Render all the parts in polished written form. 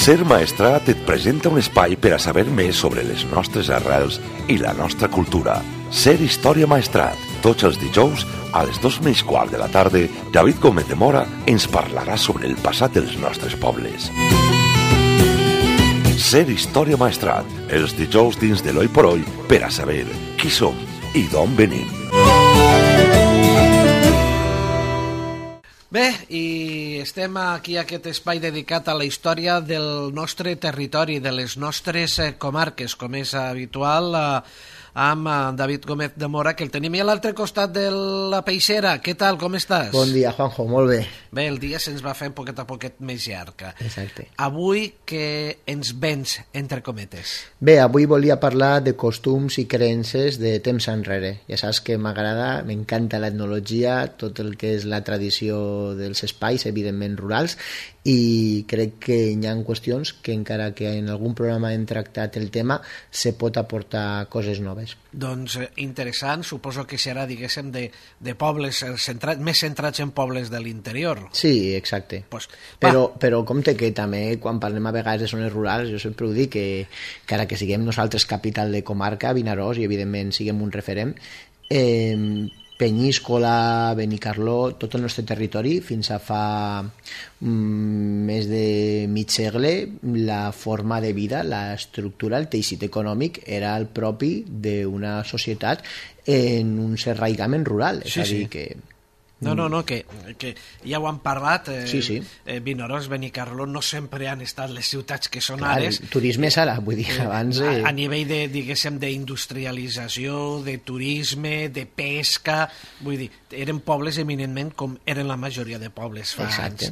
Ser Maestrat et presenta un espai per a saber més sobre les nostres arrels i la nostra cultura. Ser Història Maestrat. Tots els dijous, a les 2:15 de la tarda, David Gómez de Mora ens parlarà sobre el passat dels nostres pobles. Ser Història Maestrat. Els dijous dins de l'Oi por Oi per a saber qui som i d'on venim. Bé, i estem aquí a aquest espai dedicat a la història del nostre territori, de les nostres comarques, com és habitual, amb David Gómez de Mora, que el tenim a l'altre costat de la peixera. Què tal, com estàs? Bon dia, Juanjo, molt bé. Bé, el dia se'ns va fer poquet a poquet més llarg. Exacte. Avui que ens vens, entre cometes? Bé, avui volia parlar de costums i creences de temps enrere. Ja saps que m'agrada, m'encanta l'etnologia, tot el que és la tradició dels espais, evidentment rurals, i crec que hi ha qüestions que encara que en algun programa hem tractat el tema, se pot aportar coses noves. Doncs interessant, suposo que serà, diguéssim, de pobles més centrats en pobles de l'interior. Sí, exacte. Pues, però compte que també quan parlem a vegades de zones rurals, jo sempre ho dic, que ara que siguem nosaltres capital de comarca, Vinaròs, i evidentment siguem un referent, Penyíscola, Benicarló, tot el nostre territori, fins a fa més de mig segle, la forma de vida, l'estructura, el teixit econòmic era el propi d'una societat en un cert arraigament rural. És a dir, que... No, que ja ho han parlat. Sí. Vinaròs, Benicarló no sempre han estat les ciutats que són Clar, ara. El turisme és ara, vull dir, abans... A nivell de, diguéssim, d'industrialització, de turisme, de pesca, vull dir, eren pobles eminentment com eren la majoria de pobles fa anys,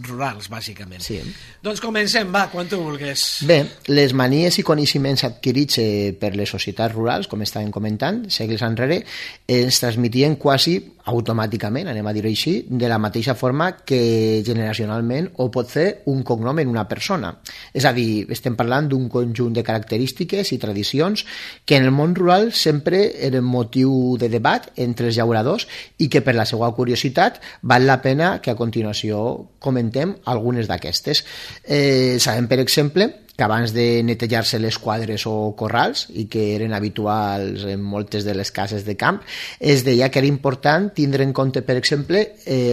rurals, bàsicament. Sí. Doncs comencem, va, quan tu vulguis. Bé, les manies i coneixements adquirits per les societats rurals, com estàvem comentant, segles enrere, ens transmitien quasi automàticament, anem a dir-ho així, de la mateixa forma que generacionalment ho pot fer un cognom en una persona. És a dir, estem parlant d'un conjunt de característiques i tradicions que en el món rural sempre eren motiu de debat entre els llauradors i que per la seva curiositat val la pena que a continuació comentem algunes d'aquestes. Sabem, per exemple, que abans de netejar-se les quadres o corrals, i que eren habituals en moltes de les cases de camp, es deia que era important tindre en compte, per exemple,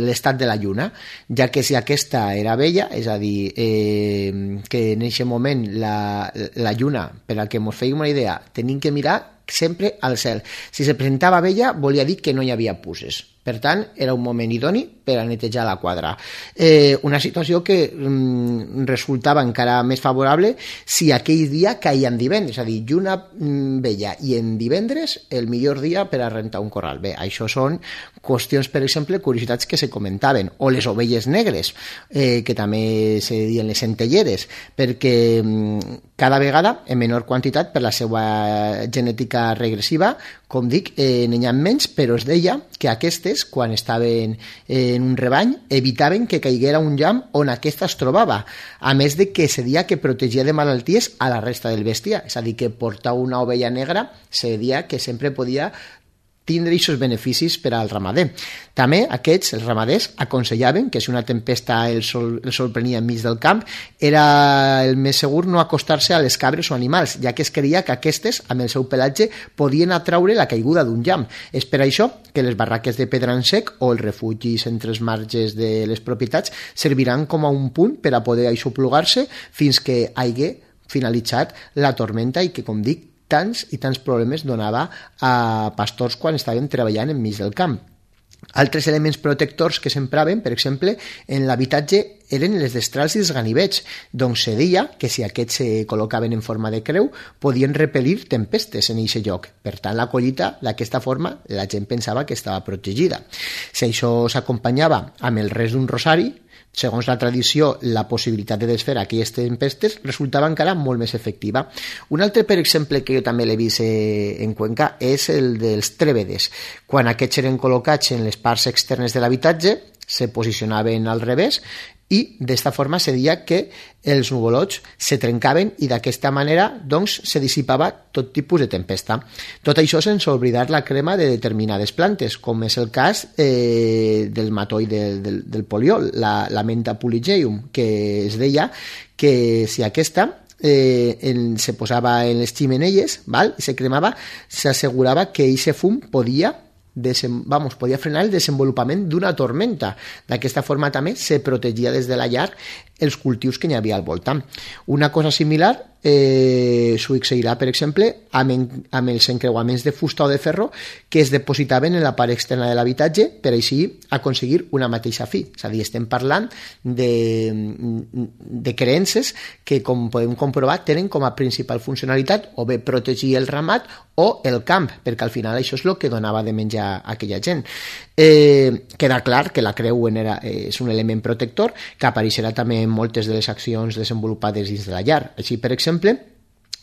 l'estat de la lluna, ja que si aquesta era vella, és a dir, que en aquest moment la lluna, per a que ens fèiem una idea, tenim que mirar sempre al cel. Si se presentava vella, volia dir que no hi havia puces. Per tant, era un moment idoni per a netejar la quadra. Una situació que resultava encara més favorable si aquell dia caia en divendres, és a dir, lluna vella i en divendres el millor dia per a rentar un corral. Bé, això són qüestions, per exemple, curiositats que se comentaven, o les ovelles negres, que també se diuen les centelleres, perquè cada vegada en menor quantitat per la seva genètica regressiva, com dic, n'hi ha menys, però es deia que aquestes, quan estaven en un rebany, evitaven que caiguera un llamp on aquesta es trobava, a més de que se deia que protegia de malalties a la resta del bestiar, és a dir, que portar una ovella negra se deia que sempre podia tindre aquests beneficis per al ramader. També aquests, els ramaders, aconsellaven que si una tempesta el sol prenia enmig del camp, era el més segur no acostar-se a les cabres o animals, ja que es creia que aquestes, amb el seu pelatge, podien atraure la caiguda d'un llamp. És per això que les barraques de pedra en sec o els refugis entre els marges de les propietats serviran com a un punt per a poder aixoplugar-se fins que hagi finalitzat la tormenta i que, com dic, tants i tants problemes donava a pastors quan estaven treballant enmig del camp. Altres elements protectors que s'empraven, per exemple, en l'habitatge eren les destrals i els ganivets, doncs se deia que si aquests se col·locaven en forma de creu podien repel·lir tempestes en aquest lloc. Per tant, la collita, d'aquesta forma, la gent pensava que estava protegida. Si això s'acompanyava amb el rest d'un rosari, segons la tradició, la possibilitat de desfer aquelles tempestes resultava encara molt més efectiva. Un altre, per exemple, que jo també l'he vist en Cuenca és el dels trèvedes. Quan aquests eren col·locats en les parts externes de l'habitatge, se posicionaven al revés i d'esta forma se deia que els nuvolots se trencaven i d'aquesta manera doncs, se dissipava tot tipus de tempesta. Tot això sense oblidar la crema de determinades plantes, com és el cas del matoll del poliol, la menta puligeum, que es deia que si aquesta se posava en les ximeneies, val? I se cremava, s'assegurava que aquest fum podia frenar el desenvolupament d'una tormenta. D'aquesta forma també se protegia des de la llar els cultius que hi havia al voltant. Una cosa similar succeirà, per exemple, amb els encreuaments de fusta o de ferro que es depositaven en la part externa de l'habitatge per així aconseguir una mateixa fi. És a dir, estem parlant de creences que, com podem comprovar, tenen com a principal funcionalitat o bé protegir el ramat o el camp, perquè al final això és el que donava de menjar a aquella gent. Queda clar que la creu és un element protector que apareixerà també en moltes de les accions desenvolupades dins de la llar. Així, per exemple,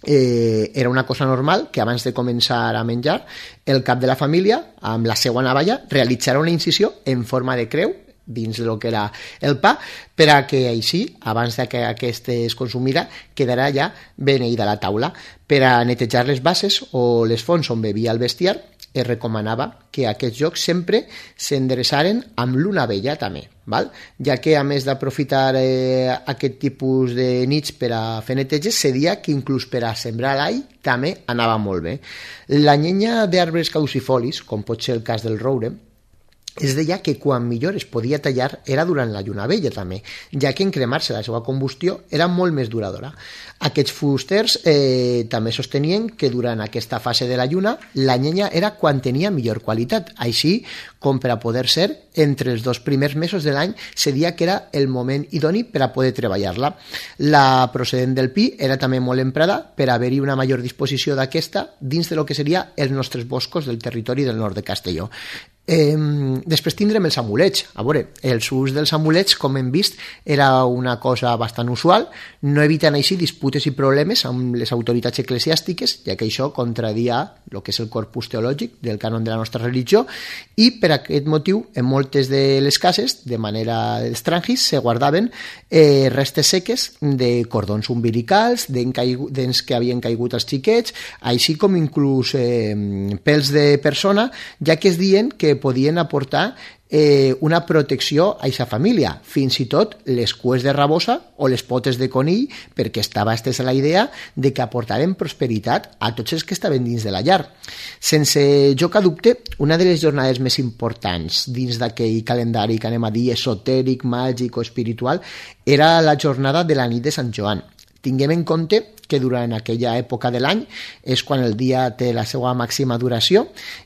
era una cosa normal que abans de començar a menjar el cap de la família, amb la seva navalla, realitzarà una incisió en forma de creu dins del que era el pa, per a que així, abans que aquest es consumira, quedarà ja beneïda la taula. Per a netejar les bases o les fonts on bevia el bestiar, es recomanava que aquests jocs sempre s'endreçaren amb l'una vella també, val? Ja que a més d'aprofitar aquest tipus de nits per a fer neteges, se dia que inclús per a sembrar l'all també anava molt bé. La llenya d'arbres caducifolis, com pot ser el cas del roure, es deia que quan millor es podia tallar era durant la lluna vella també, ja que en cremar-se la seva combustió era molt més duradora. Aquests fusters també sostenien que durant aquesta fase de la lluna la llenya era quan tenia millor qualitat, així com per a poder ser entre els 2 primers mesos de l'any se deia que era el moment idoni per a poder treballar-la. La procedent del pi era també molt emprada per haver-hi una major disposició d'aquesta dins de lo que seria els nostres boscos del territori del nord de Castelló. Després tindrem els amulets. A veure, els ús dels amulets, com hem vist, era una cosa bastant usual, no eviten així disputes i problemes amb les autoritats eclesiàstiques, ja que això contradia el que és el corpus teològic del cànon de la nostra religió, i per aquest motiu en moltes de les cases, de manera estrangis, se guardaven restes seques de cordons umbilicals, dents que havien caigut als xiquets, així com inclús pèls de persona, ja que es diuen que podien aportar una protecció a aquesta família, fins i tot les cues de rabosa o les potes de conill, perquè estava estesa la idea de que aportaren prosperitat a tots els que estaven dins de la llar. Sense joc a dubte, una de les jornades més importants dins d'aquell calendari que anem a dir esotèric, màgic o espiritual era la jornada de la nit de Sant Joan. Tinguem en compte que durant aquella època de l'any és quan el dia té la seva màxima duració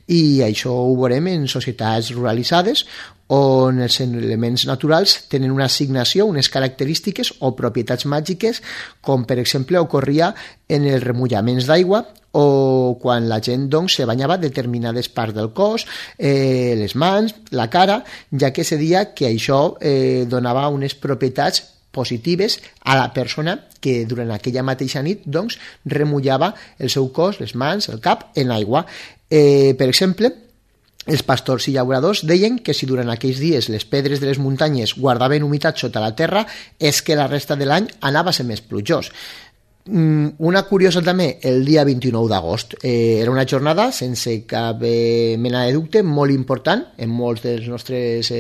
i això ho veurem en societats ruralitzades on els elements naturals tenen una assignació, unes característiques o propietats màgiques, com per exemple ocorria en els remullaments d'aigua o quan la gent doncs, se banyava determinades parts del cos, les mans, la cara, ja que se deia que això donava unes propietats positives a la persona que durant aquella mateixa nit doncs, remullava el seu cos, les mans, el cap, en aigua. Per exemple, els pastors i llauradors deien que si durant aquells dies les pedres de les muntanyes guardaven humitat sota la terra és que la resta de l'any anava a ser més plujós. Una curiosa també, el dia 29 d'agost era una jornada sense cap mena de dubte molt important en molts dels nostres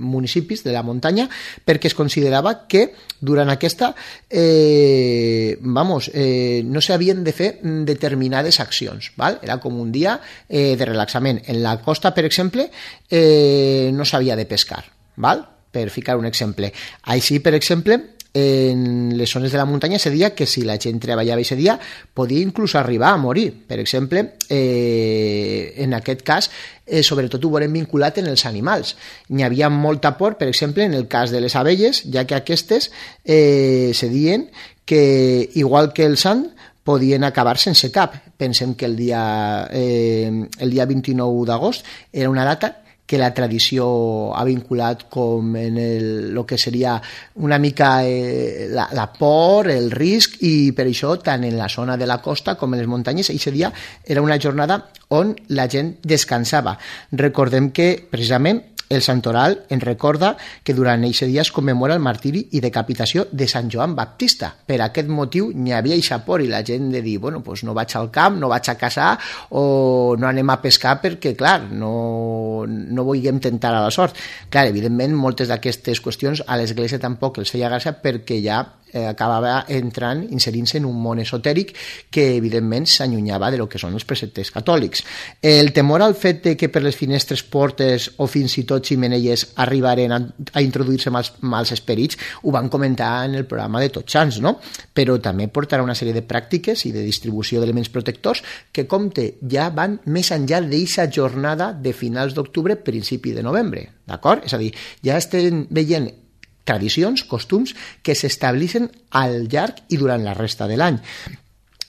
municipis de la muntanya, perquè es considerava que durant aquesta no s'havien de fer determinades accions, val? Era com un dia de relaxament. En la costa, per exemple, no s'havia de pescar, val? Per ficar un exemple. Així, per exemple, en les zones de la muntanya se deia que si la gent treballava aquest dia podia inclús arribar a morir. Per exemple, en aquest cas, sobretot ho veurem vinculat en els animals. N'hi havia molta por, per exemple, en el cas de les abelles, ja que aquestes se deien que, igual que el sant, podien acabar sense cap. Pensem que el dia 29 d'agost era una data que la tradició ha vinculat com en el que seria una mica la por, el risc, i per això tant en la zona de la costa com en les muntanyes aquest dia era una jornada on la gent descansava. Recordem que precisament El santoral ens recorda que durant aquest dia es commemora el martiri i decapitació de Sant Joan Baptista. Per aquest motiu n'hi havia eixa por i la gent de dir, bueno, pues no vaig al camp, no vaig a caçar o no anem a pescar perquè, clar, no vulguem tentar a la sort. Clar, evidentment, moltes d'aquestes qüestions a l'Església tampoc els feia gràcia perquè ja acabava inserint-se en un món esotèric que evidentment s'allunyava de lo que són els preceptes catòlics. El temor al fet de que per les finestres, portes o fins i tot ximeneies arribaren a introduir-se mals esperits ho van comentar en el programa de Tots Sants, no? Però també portarà una sèrie de pràctiques i de distribució d'elements protectors que, compte, ja van més enllà d'aquesta jornada de finals d'octubre, principi de novembre, d'acord? És a dir, ja estem veient tradicions, costums que s'estableixen al llarg i durant la resta de l'any.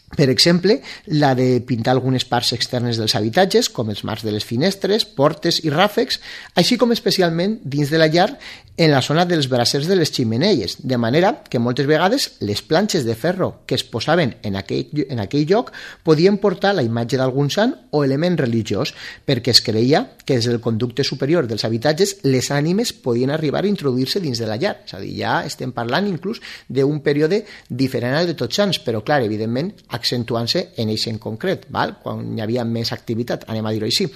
Per exemple, la de pintar algunes parts externes dels habitatges, com els marcs de les finestres, portes i ràfecs, així com especialment dins de la llar en la zona dels brasers de les ximeneies, de manera que moltes vegades les planxes de ferro que es posaven en aquell lloc podien portar la imatge d'algun sant o element religiós, perquè es creia que des del conducte superior dels habitatges les ànimes podien arribar a introduir-se dins de la llar. És a dir, ja estem parlant inclús d'un període diferent al de Tots Sants, però clar, evidentment, accentuant-se en eix en concret, val? Quan hi havia més activitat, anem a dir-ho així.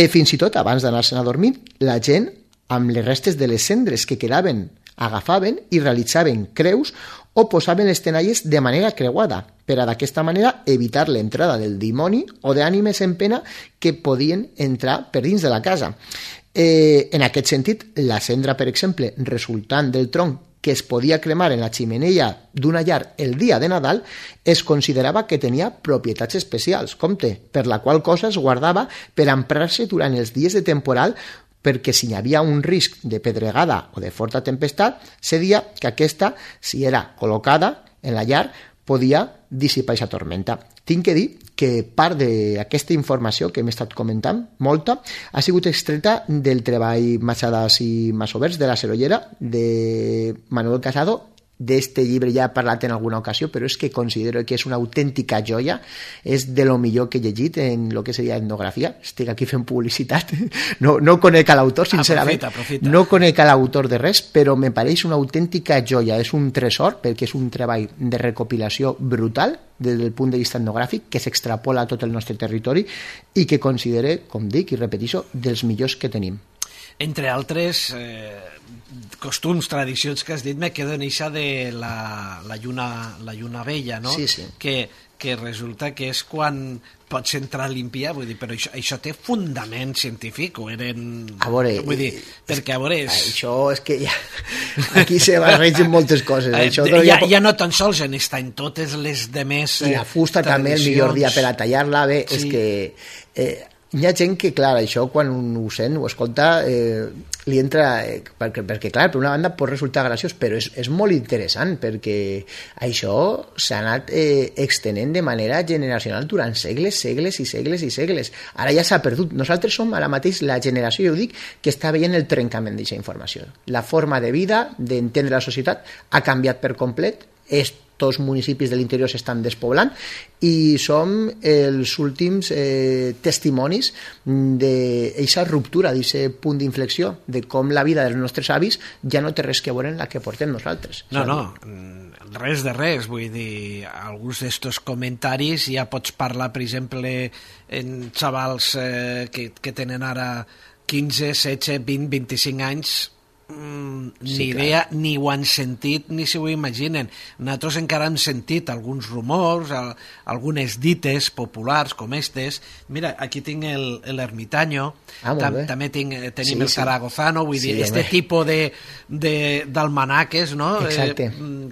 Fins i tot, abans d'anar-se'n a dormir, la gent, amb les restes de les cendres que quedaven, agafaven i realitzaven creus o posaven les tenalles de manera creuada, per a d'aquesta manera evitar l'entrada del dimoni o d'ànimes en pena que podien entrar per dins de la casa. En aquest sentit, la cendra, per exemple, resultant del tronc que es podia cremar en la ximeneia d'una llar el dia de Nadal, es considerava que tenia propietats especials, compte, per la qual cosa es guardava per emprar-se durant els dies de temporal, perquè si hi havia un risc de pedregada o de forta tempestat, se deia que aquesta, si era col·locada en la llar, podia dissipar aquesta tormenta. Tinc que dir que part d'aquesta informació que hem estat comentant, molta, ha sigut extreta del treball Machadas i Masoverts de la Serollera de Manuel Casado. D'este llibre ja he parlat en alguna ocasió, però és que considero que és una autèntica joia, és de lo millor que he llegit en el que seria etnografia. Estic aquí fent publicitat, no conec a l'autor, sincerament, aprofita. No conec a l'autor de res, però me pareix una autèntica joia, és un tresor, perquè és un treball de recopilació brutal des del punt de vista etnogràfic, que s'extrapola a tot el nostre territori i que considere, com dic i repeteixo, dels millors que tenim. Entre altres costums, tradicions que has dit, me quedo en eixa de la lluna vella, no? Sí, sí. Que resulta que és quan pots entrar a limpiar, vull dir, però això té fundament científic, o eren... A veure... Vull dir, perquè a veure... Això és que ja... Aquí se barregen moltes coses. Ja no tan sols en està en totes les demés... I la fusta també, el millor dia per a tallar-la, bé, sí. És que... Hi ha gent que, clar, això quan ho sent, ho escolta, li entra... Perquè, clar, per una banda pot resultar graciós, però és molt interessant, perquè això s'ha anat extenent de manera generacional durant segles, segles i segles i segles. Ara ja s'ha perdut. Nosaltres som ara mateix la generació, jo ho dic, que està veient el trencament d'aquesta informació. La forma de vida, d'entendre la societat, ha canviat per complet. Tots municipis de l'interior s'estan despoblant i som els últims testimonis d'aquesta ruptura, d'aquest punt d'inflexió, de com la vida dels nostres avis ja no té res que veure en la que portem nosaltres. No, res de res, vull dir, alguns d'estos comentaris ja pots parlar, per exemple, en xavals que tenen ara 15, 16, 20, 25 anys, ni idea, ni ho han sentit ni si ho imaginen. Nosaltres encara hem sentit alguns rumors, algunes dites populars com estes. Mira, aquí tinc l'Ermitaño, també tenim el Zaragozano, vull dir, este tipus d'almanaques, no?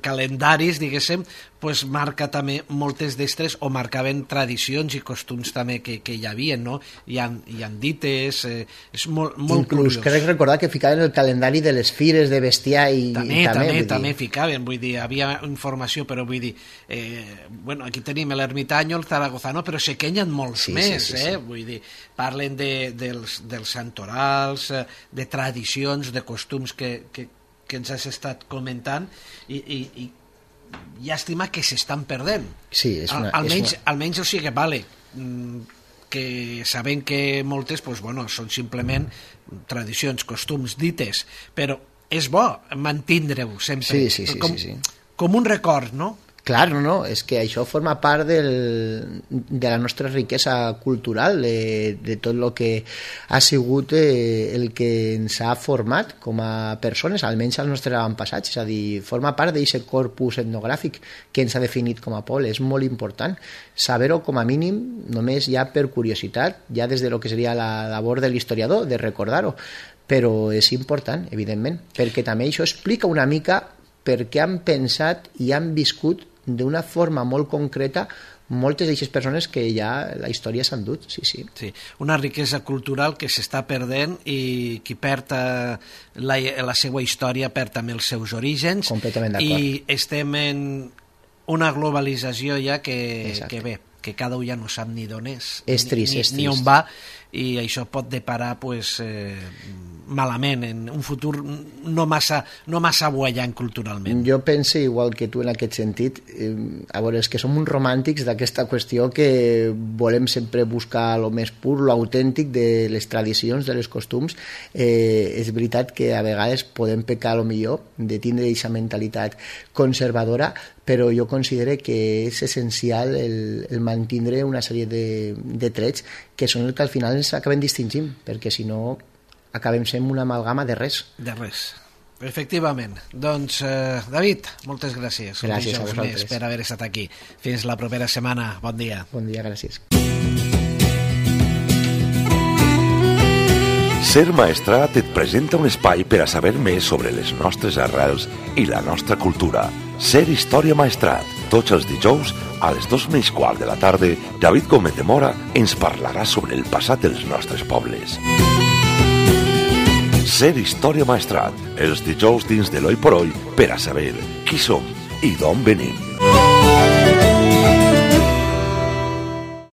Calendaris, diguéssim, pues marca també moltes d'estres, o marcaven tradicions i costums també que hi havia, no? Hi han dites, és molt inclús curiós. Crec recordar que ficaven el calendari de les fires de bestiar i també ficaven, vull dir, havia informació, però vull dir, bueno, aquí tenim l'Ermitaño, el Zaragozano, però sé que hi ha molts més, vull dir, parlen dels santorals, de tradicions, de costums que ens has estat comentant i llàstima que s'estan perdent. Sí, almenys, o sigui, vale, que sabem que moltes són simplement tradicions, costums dites, però és bo mantindre-ho sempre, sí. com un record, no? Clar, no, és que això forma part de la nostra riquesa cultural, de tot el que ha sigut el que ens ha format com a persones, almenys als nostres avantpassats, és a dir, forma part d'aquest corpus etnogràfic que ens ha definit com a poble. És molt important saber-ho com a mínim, només ja per curiositat, ja des de lo que seria la labor de l'historiador, de recordar-ho, però és important, evidentment, perquè també això explica una mica per què han pensat i han viscut d'una forma molt concreta moltes d'aquestes persones que ja la història s'han dut, sí. Una riquesa cultural que s'està perdent i qui perd la seva història perd també els seus orígens. Completament d'acord. I estem en una globalització ja que bé, que cada un ja no sap ni d'on és, és trist. Ni on va, i això pot deparar malament en un futur no massa buellant culturalment. Jo penso igual que tu en aquest sentit. A veure, és que som uns romàntics d'aquesta qüestió que volem sempre buscar el més pur, l'autèntic de les tradicions, de les costums. És veritat que a vegades podem pecar a lo millor de tindre aquesta mentalitat conservadora, però jo considero que és essencial el mantindre una sèrie de trets que són el que al final ens acaben distingint, perquè si no acabem sent una amalgama de res. De res, efectivament. Doncs, David, moltes gràcies. Gràcies a vosaltres. Per haver estat aquí. Fins la propera setmana. Bon dia. Bon dia, gràcies. Ser Maestrat et presenta un espai per a saber més sobre les nostres arrels i la nostra cultura. Ser Història Maestrat. Tots els dijous, a les 2:15 de la tarda, David Gómez de Mora ens parlarà sobre el passat dels nostres pobles. Ser Història Maestrat, els dijous dins de l'Oi por Oi, per a saber qui som i d'on venim.